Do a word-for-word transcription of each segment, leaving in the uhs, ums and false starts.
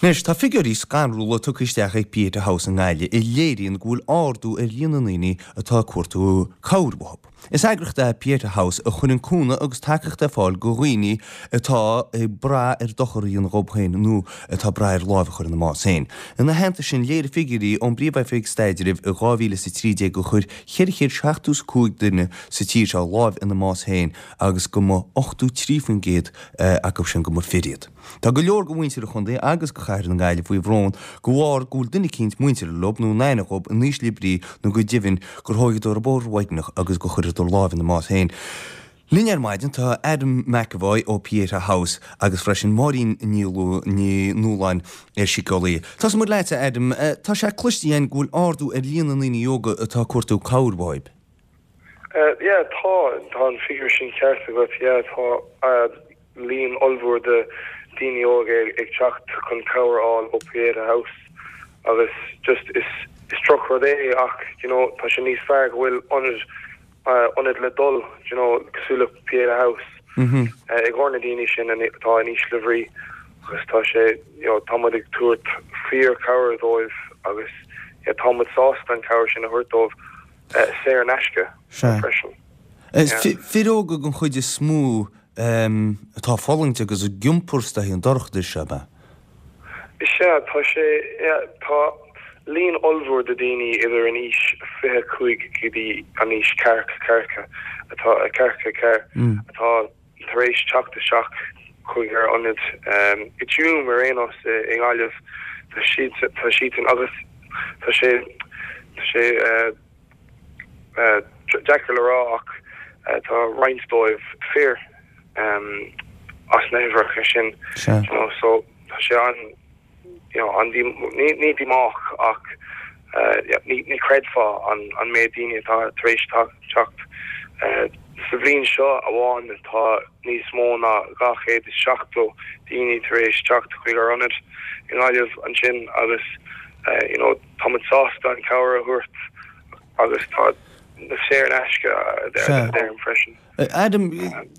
Anois, tá figiúirí scanrúla tugtha isteach ag Pieta House i nGaillimh a léiríonn go bhfuil ardú ar líon na ndaoine atá ag cuartú cabhair uathu. Is eagraíocht é Pieta House a chuireann cúnamh agus tacaíocht ar fáil do dhaoine atá ag brath ar dochar a dhéanamh dhóibh féin nó atá ag brath ar lámh a chur ina mbás féin. Ina theannta sin, léirigh figiúirí ón bPríomh-Oifig Staidrimh i dhá mhíle is a trí déag gur chuir ceithre chéad seachtó is cúig duine sa tír seo lámh ina mbás féin agus go mba ochtó trí faoin gcéad acu sin go mba fir iad. Tá go leor de mhuintir an chontae agus de chathair na Gaillimhe faoi bhrón de bharr go bhfuil duine eicínt muinteartha leo nó in aithne dhób in ísle brí nó go deimhin gur thógadar an bóthar mhaidineach agus gur chuireadar lámh ina mbás féin. Linn ar maidin tá Adam McEvoy ó Pieta House agus freisin Máirín Ní Nualláin ar síceolaí. Tosóidh muid leatsa Adam, tá sé cloiste againn go bhfuil ardú ar líon na ndaoine óga atá ag cuartú cabhair uaibh. Yeah, tá, tá an figiúr sin ceart agat, yeah, tá líon ollmhór de daoine óga ag teacht chun cabhair a fháil ó Pieta House agus just is is drochrud é ach you know tá sé níos fearr go bhfuil ionad uh, ionad le dul you know cosúil le Pieta House mm -hmm. uh, i gcomhair na daoine sin atá in ísle bhrí agus tá sé you know, tá muid ag tabhairt fíor cabhair dóibh agus yeah, tá muid sásta an cabhair sin a thabhairt dóibh uh, saor in aisce freisin. Fir óga den chuid is mó atá ag fulaingt agus ag iompar is dóichí an dorchadas seo, ab ea? Is ea, tá sé, tá líon ollmhór de daoine idir an aois fiche cúig go dtí an aois ceathracha ceathracha atá ceathracha ceathair atá tar éis teacht isteach chuig ár ionad i dTuaim ar aon nós i nGaillimh. Tá siad tá siadsan agus tá sé tá sé deacair le rá ach tá roinnt dóibh fir as na huimhreacha sin you know so tá sé an you know an ní ní díomách ach ní ní chreidfeá an an méid daoine atá tar éis teacht sa bhliain seo amháin tá níos mó ná dhá chéad is seachtó daoine tar éis teacht chuig ár ionad i nGaillimh ansin agus you know tá muid sásta an cabhair a thabhairt agus tá saor in aisce deirim freisin. Adam,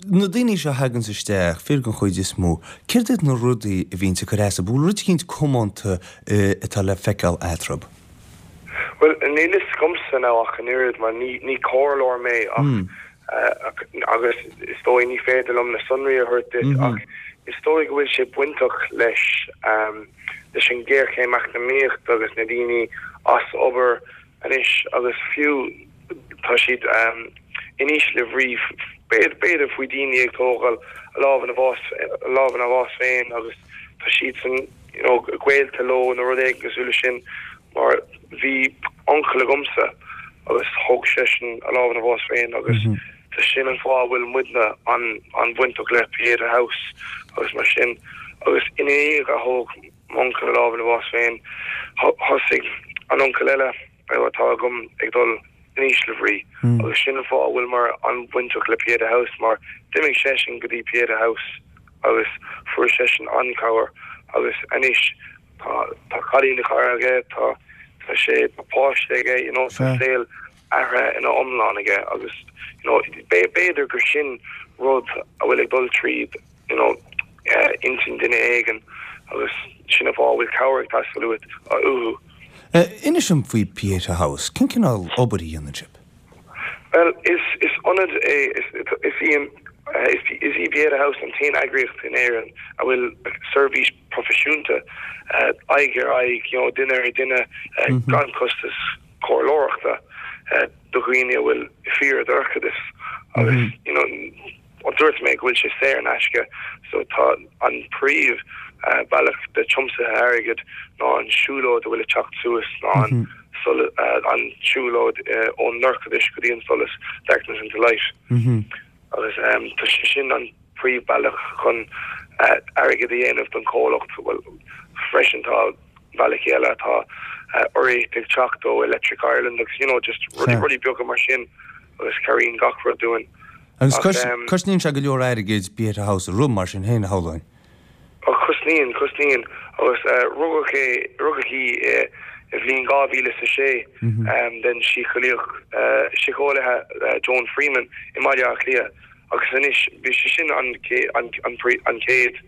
na daoine seo a thaganns isteach, fir den chuid is mó, céard iad na rudaí a bhíonns ag cur as? An bhfuil rud eicínt comónta atá le feiceáil eatarthu? Bhuel, níl fhios agamsa now ach an oiread mar ní ní comhairleoir mé ach agus is dóigh ní féidir liom na sonraí a thabhairt duit ach is dóigh go bhfuil sé bainteach leis leis an ghéarchéim eacnamaíochta agus na daoine as obair anois agus fiú tá siad in ísle bhrí, b'fhéidir faoi daoine ag tógáil a lámh ina bhás, a lámh ina bhás féin agus tá siadsan you know gaolta leo nó rud éigin cosúil leis sin mar bhí uncail agamsa agus thóg seisean a lámh ina bhás féin agus tá sin an fáth a bhfuil muidne an-bhainteach le Pieta House agus mar sin agus ina dhiaidh a thóg m'uncail a lámh ina bhás féin thosaigh an uncail eile atá agam ag dul in ísle bhrí agus sin an fáth a bhfuileamar an-bhainteach le Pieta House mar d'imigh seisean go dtí Pieta House agus fuair seisean an-chabhair agus anois tá tá cailín a chara aige, tá tá sé tá páiste aige, you know, tá saol athraithe ina iomlán aige agus you know b'fhéidir gur sin rud a bhfuil ag dul tríd you know intinn duine éigin agus sin an fáth a bhfuil cabhair ag teastáil uait uathu. Inis dom faoi Pieta House. Cén cineál obair a dhéanann sibh? Bhuel, is is ionad é, is is í an is is í Pieta House an t-aon eagraíocht in Éirinn a bhfuil seirbhís proifisiúnta aghaidh ar aghaidh, you know, duine ar dhuine, gan costas comhairleoireachta do dhaoine a bhfuil fíordhorchadas agus you know, dúirt mé go bhfuil sé saor in aisce so tá an príomh bealach de tiomsaithe airgid ná an siúlóid a bhfuil ag teacht suas ná an an siúlóid ón ndorchadas go dtí an solas, Darkness into Light. Agus tá sé sin an príomh bealach chun airgead a dhéanamh don chomhlacht. Bhuel freisin tá bealaí eile tá urraíocht ag teacht ó Electric Ireland agus you know just rudaí rudaí beaga mar sin agus cabhraíonn gach rud dúinn. Agus cosnaíonn sé go leor airgid Pieta House a rith mar sin féin, a shamhlóinn. Ó cosnaíonn, cosnaíonn. Agus rugadh é, rugadh í i bhliain dhá mhíle is a sé den síceolaíoch, síceolaithe Joan Freeman i mBaile Átha Cliath agus anois bhí sé sin an an an chéad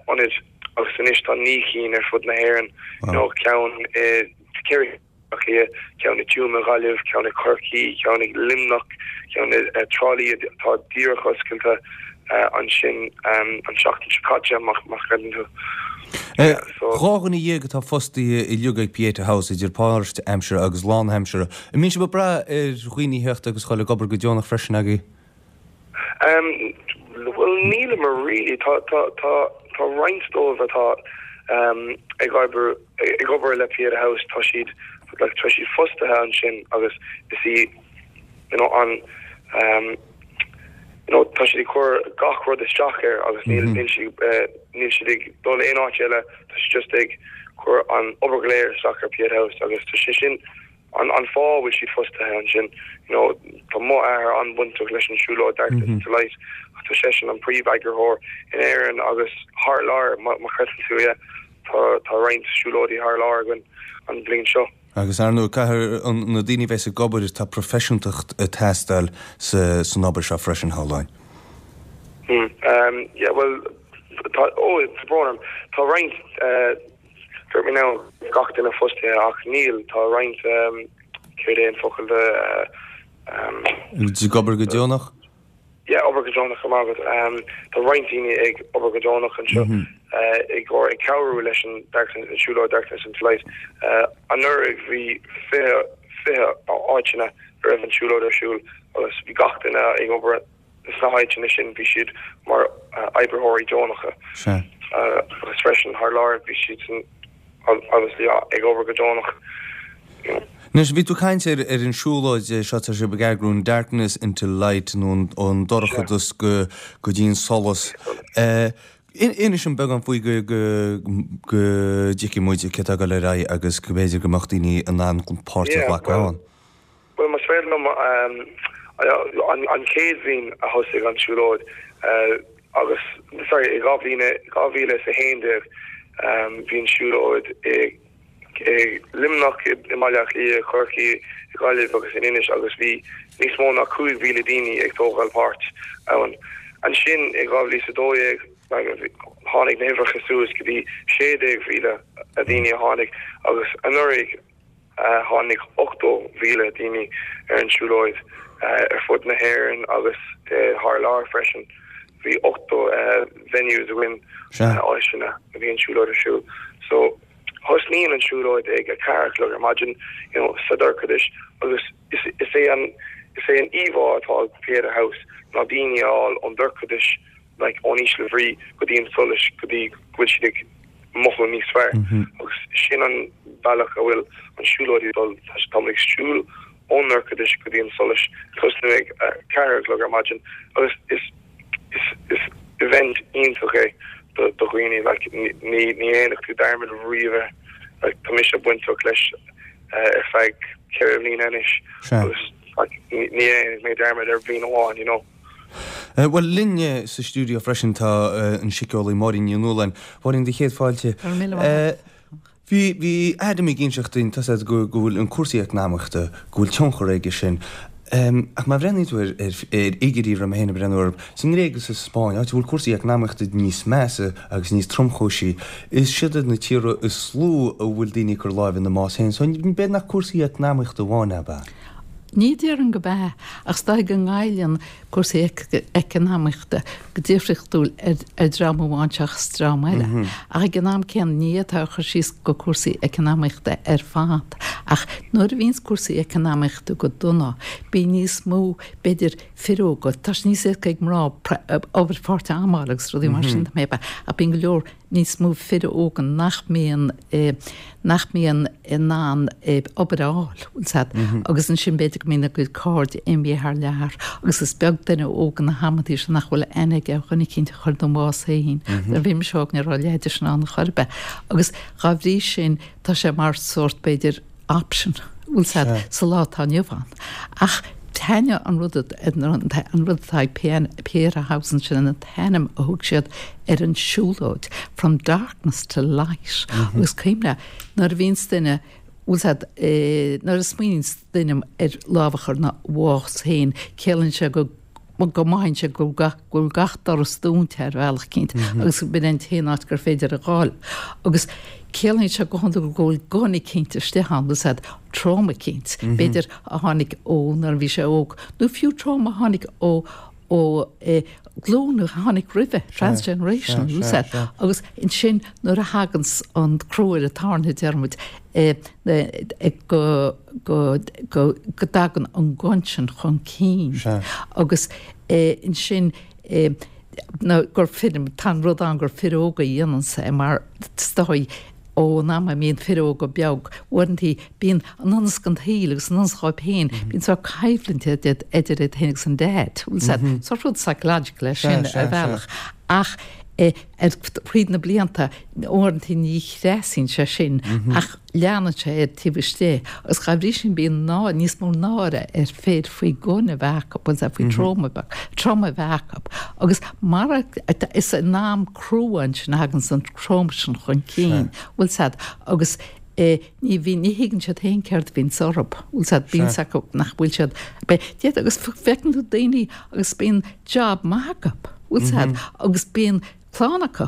ionad agus anois tá naoi cinn ar fud na hÉireann, you know, ceann i ceithre Cliath, ceann i Tuaim i Gaillimh, ceann i Corcaigh, ceann i Luimneach, ceann i Trá Lí atá díreach oscailte ansin an seachtain seo caite, má chreideann tú. Dhá dhuine dhéag atá fostaithe uilig ag Pieta House idir páirtaimseartha agus lánaimseartha. An mbíonn sibh ag brath ar dhaoine a theacht agus dhul ag obair go deonach freisin agaibh? Um, well nílimid really tá tá tá tá roinnt dóibh atá um, ag obair ag obair le Pieta House tá siad like, tá siad fostaithe ansin agus is í you know, an um, you know, tá siad ag cur gach rud isteach air agus níl mm -hmm. níl siad uh, níl siad ag dul aon áit eile tá siad just ag cur an obair go léir isteach ar Pieta House agus tá sé sin an an fáth bhfuil siad fostaithe ansin you know tá m'athair an-bhainteach leis an siúlóid Darkness mm -hmm. to Light tá seisean an príomheagarthóir in Éirinn agus thar lear má chreideann tú é tá tá roinnt siúlóidí thar lear againn an bhliain seo. Agus ar ndóigh caithfidh na daoine bheith ag obair tá proifisiúntacht ag teastáil sa san obair seo freisin háláin. Hmm, um, yeah, well tá oh, brón tá roinnt uh, dúirt mé now gach duine fostaithe ach níl tá roinnt um, céard é an focal de uh, um, Ag obair go deonach? Yeah, obair go deonach agat um, tá roinnt daoine ag obair go deonach anseo mm -hmm. uh, ag or ag cabhrú leis an darkness an siúlóid Darkness into Light. Uh, anuraidh bhí fiche fiche áiteanna raibh an siúlóid ar siúl agus bhí gach duine ag obair sna háiteanna sin bhí siad mar uh, oibritheoirí deonacha. Uh, agus freisin thar lear bhí siad san obviously ag obair go deonach. You know. Anois bhí tú ag caint ar ar an siúlóid seo tá sibh ag eagrú Darkness into Light nó ón dorchadas go go dtí an solas. Uh, Inis dúinn beagán faoi go go go dtuigfidh muid cé tá le rá agus go b'fhéidir go mbeadh daoine in ann páirt a ghlacadh ann. Well más féidir liom um, an, an chéad bhliain a thosaigh an siúlóid uh, agus sorry i dhá bhliain dhá mhíle is a haon déag um, bhí an siúlóid i i Luimneach i mBaile Átha Cliath Corcaigh i Gaillimh agus in Inis agus bhí níos mó ná cúig mhíle daoine ag tógáil páirt ann. Ansin i dhá mhíle is a dó dhéag tháinig na huimhreacha suas go dtí sé déag mhíle a daoine a tháinig agus anuraidh uh, tháinig ochtó mhíle daoine ar an siúlóid uh, ar fud na hÉireann agus uh, thar lear freisin. Bhí ochtó uh, venues againn áiteanna a bhí an siúlóid ar siúl. So thosnaíonn an siúlóid ag a ceathair a chlog ar maidin you know, sa dorchadas agus is, is é an is é an íomhá atá Pieta House ná daoine a fháil ón dorchadas like ón ísle bhrí go dtí an solas go dtí go bhfuil siad ag mothú níos fearr mm -hmm. agus sin an bealach a bhfuil an siúlóid ag dul tá ag siúl ón dorchadas go dtí an solas tosnú ag ceathair a chlog ar maidin agus is is is event iontach é do do dhaoine like ní ní dhéanfaidh tú dearmad riamh like tá mise bainteach leis uh, ar feadh ceithre bliana anois agus like ní dhéanfaidh mé dearmad ar bhliain amháin you know Uh, well linn sa stiúideo freisin tá uh, an síceolaí Máirín Ní Nualláin Máirín do chéad fáilte. Uh, Bhí bhí Adam ag inseacht dúinn tá go go bhfuil an cúrsaí eacnamaíochta go bhfuil tionchar aige sin. Um, ach má bhreathnaíonn tú ar ar ar fhigiúirí ra héna breúir san nGréig sa Spáinn, áit bhfuil cúrsaí eacnamaíochta níos measa agus níos tromchúisí, is siad na tíortha is lú a bhfuil daoine ag cur lámh ina mbás féin, so b'fhéidir nach cúrsaí eacnamaíochta amháin ab ea. Ní déarfainn gurb ea ach is dóigh go ngoilleann cúrsaí eacnamaíochta go difriúil ar ar dream amháin seachas dream eile. Mm -hmm. Ach ag an am céanna ní atá chur síos go cúrsaí eacnamaíochta ar fad. Ach nuair a bhíonns cúrsaí eacnamaíochta go dona, bíonn níos mó b'fhéidir fir óga, tá sé níos éasca ag mná obair pháirtaimseartha agus rudaí mar sin mm -hmm. a bíonn go leor níos mó fir óga nach mbíonn eh, nach mbíonn in ann eh, obair a fháil mm -hmm. agus ansin b'fhéidir go mbíonn a gcuid cairde imithe thar lear agus is beag duine óg na hamanta sin nach bhfuil aithne aige ar dhuine eicínt a chuir ina bhás féin mm bhí mise óg ní raibh a leithéid sin ann chor ar bith agus dá bhrí sin tá sé mar sórt b'fhéidir option bhfuil sa lá atá inniu ann ach Thaitnigh an rud an rud atá Pieta House sin an t-ainm a thug siad ar an siúlóid from darkness to light mm -hmm. agus cuimhnigh nuair a bhíonns duine bhfuil eh, nuair a smaoiníonn duine ar lámh a chur ina bhás féin ciallaíonn sé go go mothaíonn sé go bhfuil go bhfuil gach doras dúnta ar bhealach eicínt agus b'in an t-aon áit gur féidir a ghabháil. Agus ciallaíonn sé go hiondúil go bhfuil gun eicínt istigh ann, bhfuil 's a'd, trauma eicínt, b'fhéidir a tháinig ó nuair a bhí sé óg, nó fiú trauma a tháinig ó ó glúin a tháinig roimhe, transgenerational, bhfuil 's a'd, agus ansin nuair a thaganns an crú ar an tairne a deir muid, go go go go dtagann an gun sin chun cinn agus ansin nó gur fir, tá an rud ann gur fir óga a dhéananns é mar is dóigh ón am a mbíonn fir óga beag, uaireantaí bíonn i ngan fhios don tsaol agus i ngan fhios dhóibh féin, bíonn sórt coimhlint idir iad féin agus an dad, bhfuil 's a'd, sórt rud psychological é sin ar bhealach ach ar thríd na blianta uaireantaí ní thrasuíonn sé sin ach leanann sé air taobh istigh agus dá bhrí sin bíonn níos mó náire ar fir faoi gun a bheith acu, bhfuil 's a'd, faoi trauma beag, trauma a bheith acu agus mar is in am crua ansin a thaganns an trauma sin chun cinn, bhfuil 's a'd, agus ní bhíonn, ní thuigeann siad féin céard a bhíonns orthu, bhfuil 's a'd, bíonn 's acu nach bhfuil siad, d'fhéadfadh, agus feiceann tú daoine agus bíonn job maith acu, bhfuil 's a'd, agus bíonn clann acu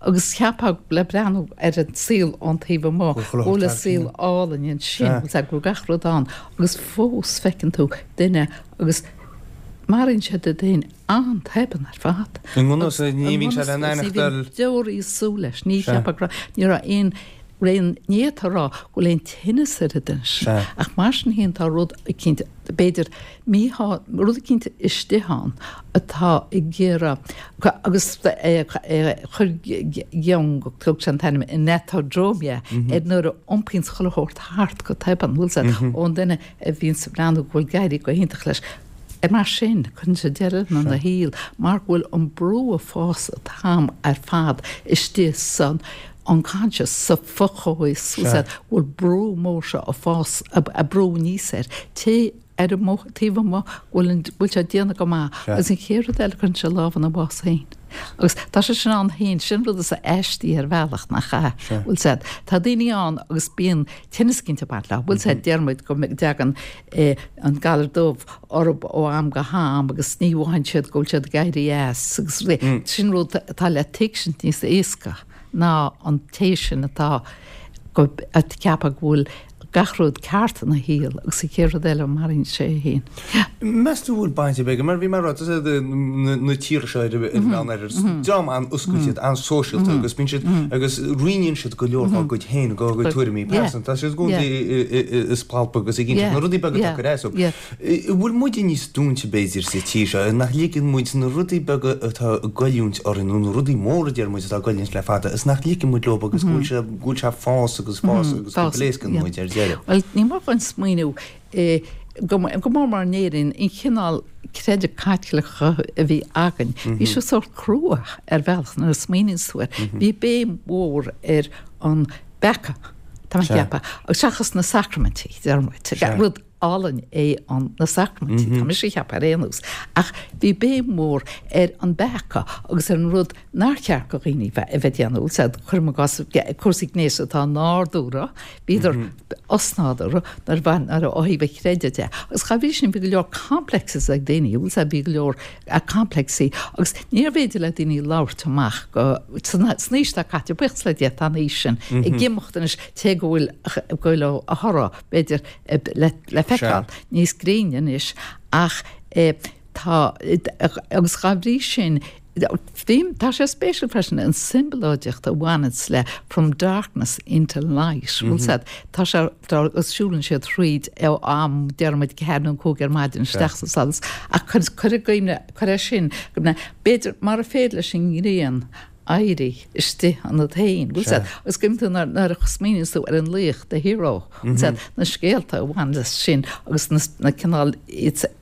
agus cheapfá le breathnú ar an saol ón taobh amuigh go bhfuil an saol álainn ansin, bhfuil 's a'd, go bhfuil gach rud ann agus fós feiceann tú duine agus maraíonn siad iad féin an-tobann ar fad. I ngan fhios, ní bhíonn sé le n-aithneachtáil. Deoraí ag súil leis, ní cheapfá go raibh, ní raibh aon aon ní atá a rá go bhfuil aon tinneas ar an duine sin ach mar sin féin tá rud eicínt, b'fhéidir míshá, rud eicínt istigh ann atá ag iarraidh agus chuir Jung, thug sé an t-ainm enantiodromia ar nuair a iompaíonn chuile shórt thart go tobann, bhfuil 's a'd, ón duine a bhíonns ag breathnú go bhfuil ag éirí go hiontach leis. Mar sin, cuireann sé deireadh lena shaol mar go bhfuil an brú ag fás an t-am ar fad istigh san unconscious, sa fho-chomhfhios, bhfuil 's a'd, go bhfuil brú mór seo ag fás, ag brú aníos air. Té ar an taobh amuigh go bhfuil an, go bhfuil sé ag déanamh go maith agus an chéad rud eile cuireann sé lámh ina bhás féin. Agus tá sé sin ann féin, sin rud is aistí ar bhealach, nach ea? Bhfuil 's a'd, tá daoine ann agus bíonn tinneas eicínt ag baint leo, bhfuil 's a'd, deir muid go dtagann an galar dubh orthu ó am go ham agus ní mhothaíonn siad go bhfuil siad ag éirí as agus sin rud atá le tuigsint níos éasca. ná an té sin atá ag ceapadh go bhfuil gach rud ceart ina shaol agus an chéad rud eile maraíonn sé é féin. Meas tú bhfuil baint ar bith aige, mar bhí mé ag rá, tá na tíortha seo ar an Meán-Oirthear, is dream an-oscailte iad, an-sóisialta agus bíonn siad, agus roinneann siad go leor dá gcuid féin, dá gcuid tuairimí pearsanta, tá siad i gcónaí ag spalpadh agus ag insint na rudaí beaga atá ag cur as dóibh. An bhfuil muide níos dúinte b'fhéidir sa tír seo, nach ligeann muid na rudaí beaga atá ag goilliúint orainn nó na rudaí móra a deir muid atá ag goilliúint le fada is nach ligeann muid leo agus go bhfuil sé, go bhfuil sé ag fás agus fás agus go bpléascann muid ar deireadh. Bhuel, ní mór dhúinn smaoineamh go mór mór in Éirinn, an cineál creideamh Caitliceach a bhí againn, bhí sé sórt crua ar bhealach nuair a smaoiníonn tú air. Bhí béim mhór ar an bpeaca, tá mé ag ceapadh, seachas na sacraimintí, deir muid, rud álainn é an na sacraimintí, tá mise ag ceapadh ar aon nós, ach bhí béim mhór ar an bpeaca agus ar an rud nár cheart do dhaoine a bheith ag déanamh, bhfuil 's a'd, cuirim i gcás cúrsaí gnéis atá nádúrtha, bhíodar osnádúrtha nuair a bhain, nuair ó thaobh an chreidimh de. Agus dá bhrí sin bhí go leor complexes ag daoine, bhfuil 's a'd, bhí go leor complexí agus níorbh fhéidir le daoine labhairt amach go, san aois atá caite, buíochas le Dia tá an aois sin ag imeacht anois, cé go bhfuil, go bhfuil a thoradh, b'fhéidir, le feiceáil níos grinne anois ach tá, agus dá bhrí sin, tá sé spéisiúil freisin an tsiombalóideacht a bhaineanns le from darkness into light, bhfuil 's a'd, tá sé, agus siúlann siad thríd ó am, deir muid, ceathair nó cúig ar maidin isteach sa solas ach cuir i gcuimhne, cuir é sin, b'fhéidir, mara féidir leis an ngrian éirí istigh ionat féin, bhfuil 's a'd, agus cuimhnigh tú nuair a smaoiníonns tú ar an laoch, the hero, bhfuil 's a'd, na scéalta a bhain leis sin agus na, na cineál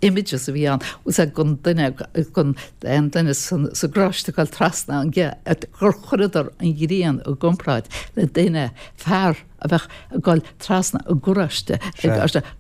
images a bhí ann, bhfuil 's a'd, gon duine, gon an duine san, sa gcrois ag dul trasna an ge, gur chuireadar an ghrian i gcomparáid le duine, fear a bheadh ag dul trasna i gcarráiste,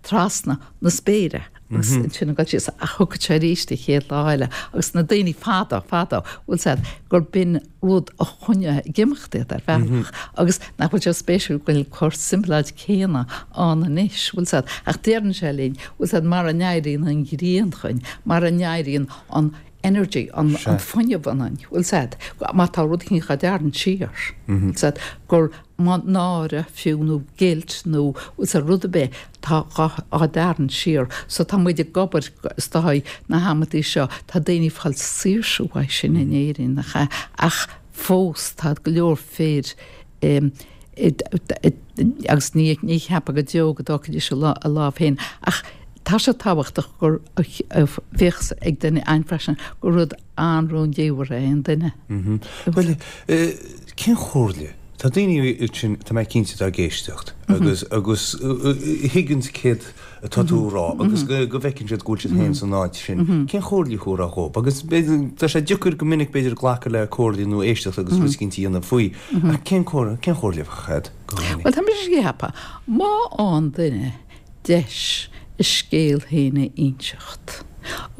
trasna na spéire. Agus ansin ag dul síos ach thiocfadh sé arís an chéad lá eile agus na daoine fadó, fadó, bhfuil 's a'd, gur b'in rud a choinneodh ag imeacht iad ar bhealach agus nach bhfuil sé spéisiúil go bhfuil an tsimléid céanna ann anois, bhfuil 's a'd, ach deireann sé linn, bhfuil 's a'd, mara n-éiríonn an ghrian chugainn, mara n-éiríonn an energy, an an fuinneamh ionainn, bhfuil 's a'd, má tá rud éicint á dtarraingt siar, bhfuil 's a'd, gur má náire fiú nó guilt nó bhfuil 's a'd rud ar bith tá á dtarraingt siar so tá muid ag obair is dóigh na hamantaí seo tá daoine ag fáil saoirse uaidh sin in Éirinn nach ea ach fós tá go leor fir agus ní ní cheapfá go deo go dtógfaidís a lámh féin ach tá sé tábhachtach gur bheadh ag duine ann freisin gur rud an-rúndiamhair é an duine. Bhuel, cén chomhairle? Tá daoine ansin, tá mé cinnte, atá ag éisteacht agus agus thuigeann céard atá tú a rá agus go go bhfeiceann siad go bhfuil siad féin san áit sin. Cén chomhairle a thabharfá dhóibh? Agus b'fhéidir, tá sé deacair go minic b'fhéidir glacadh le comhairle nó éisteacht agus rud éicint a dhéanamh faoi. Ach cén chomhairle, cén chomhairle a bheadh agat do dhaoine? Bhuel, tá mise ag ceapadh, má fhaigheann duine deis a scéal féin a inseacht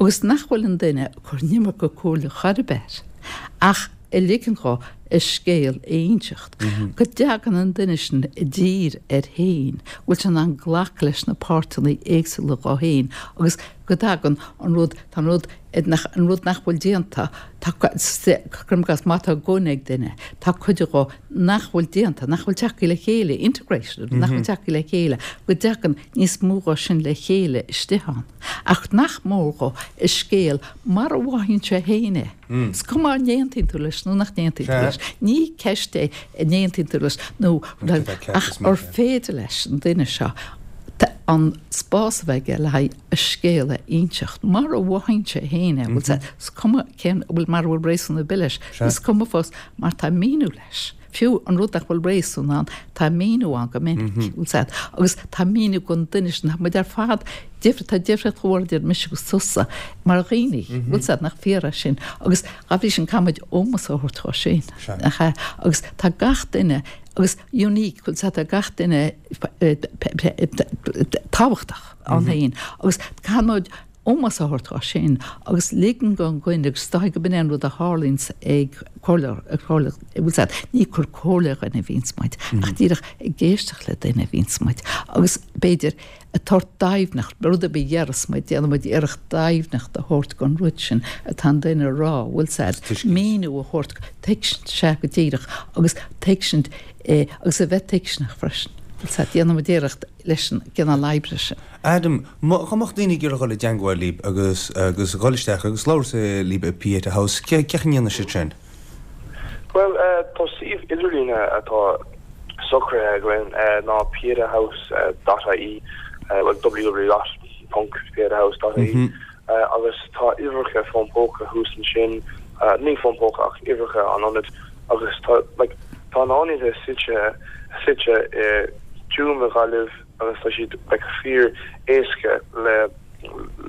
agus nach bhfuil an duine ag cur an iomarca comhairle chor ar bith air ach ag ligean dhó a scéal a inseacht, go dtagann an duine sin i dtír air féin, go bhfuil sé in ann glacadh leis na páirteanna éagsúla dhó féin agus go dtagann an rud, tá an rud, nach, an rud nach bhfuil déanta, tá, cuirim i gcás, má tá gunna ag duine, tá cuid dhó nach bhfuil déanta, nach bhfuil tagtha le chéile, integrated, nach bhfuil tagtha le chéile, go dtagann níos mó dhó sin le chéile istigh ann. Ach nach mór dhó a scéal mar a mhothaíonn sé féin é. Is cuma an n-aontaíonn tú leis nó nach n-aontaíonn tú leis. Ní ceist é an n-aontaíonn tú leis nó ach ar féidir leis an duine seo an spás a bheith aige le haghaidh a scéal a inseacht mar a mhothaíonn sé féin é. Bhfuil sé, is cuma cén, bhfuil mar a bhfuil réasún ar bith leis, is cuma fós mar tá míniú leis. Fiú an rud nach bhfuil réasún ann, tá míniú ann go minic, bhfuil 's a'd, agus tá míniú don duine sin, tá muid ar fad difri, tá difríocht mhór idir mise agus tusa mar dhaoine, bhfuil 's a'd, nach fíor é sin, agus dá bhrí sin caithfidh muid ómós a thabhairt dhó sin, nach ea, agus tá gach duine, agus unique, bhfuil 's a'd, tá gach duine tábhachtach ann féin, agus caithfidh muid ómós a thabhairt dhó sin agus ligean don dhuine agus is dóigh go b'in é an rud a tharlaíonns ag comhairleoir, ag comhairle, bhfuil 's a'd, ní ag cur comhairle ar dhuine a bhíonns muid ach díreach ag éisteacht le duine a bhíonns muid agus b'fhéidir ag tabhairt deimhneacht, rud ar bith a deireas muid, déanann muid iarracht deimhneacht a thabhairt don rud sin atá an duine a rá, bhfuil 's a'd, míniú a thabhairt, tuigsint, sea go díreach agus tuigsint agus a bheith tuigseanach freisin, bhfuil 's a'd, déanann muid iarracht leis an gcineál oibre sin. Adam, Má mbeadh daoine ag iarraidh dhul i dteangmháil libh agus agus dhul isteach agus labhairt libh i Pieta House, cé chaoi a ndéanfaidh siad sin? Bhuel, tá suíomh idirlíne atá socraithe againn ná pietahouse dot ie, bhuel www dot ponc pietahouse dot ie, agus tá uimhreacha fón póca thuas ansin, ní fón póca ach uimhreacha an ionaid agus tá like tá an ionad suite suite i dTuaim i Gaillimh agus tá siad like fíor éasca le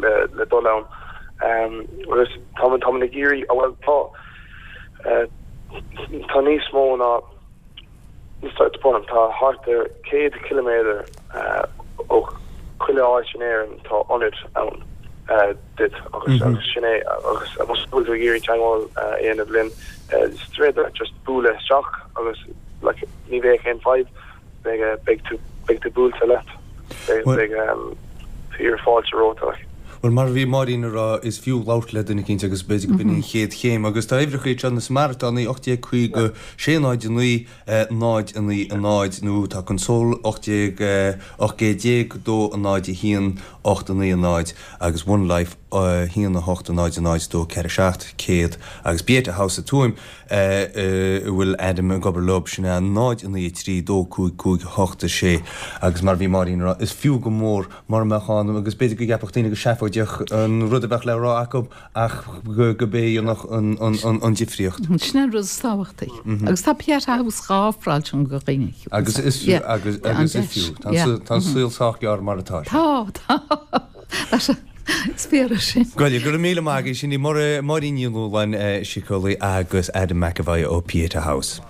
le le dul ann agus tá tá muid ag iarraidh bhuel tá tá níos mó ná tá thart ar céad ciliméadar ó chuile áit in Éirinn tá ionad ann duit agus agus sin é agus más bhfuil tú ag iarraidh teagmháil a dhéanamh linn is féidir just bualadh isteach agus like ní bheidh aon fadhb beidh beidh tú beidh tú buailte leat beidh beidh fíor fáilte romhat like. Bhuel, mar a bhí Máirín ag rá, is fiú labhairt le duine eicínt agus b'fhéidir go b'in an chéad chéim. Agus tá uimhreacha anseo na Samaritánaigh, ocht déag caoga sé náid a naoi, náid a naoi a náid, nó tá Console ocht déag ocht gcéad déag dó a náid a haon ocht a naoi a náid agus One Life a haon a hocht a náid a náid dó ceathair seacht céad agus Pieta House i Tuaim a bhfuil Adam ag obair leo, sin é náid a naoi a trí dó cúig cúig ocht a sé agus mar a bhí Máirín ag rá, is fiú go mór mura mbeadh ann agus b'fhéidir go gceapfadh daoine go seafóideach an rud a bheadh le rá acu ach go b'é a dhéanfadh an difríocht. Sin é an rud is tábhachtaí. Agus tá Pieta House dhá ofráil sin do dhaoine. Agus is fiú, agus agus is fiú. Tá an saol sách gearr mar atá sé. Tá, tá. Is fíor é sin. Go raibh míle maith agaibh, sin í Máirín Ní Nualláin, síceolaí agus Adam McEvoy ó Pieta House.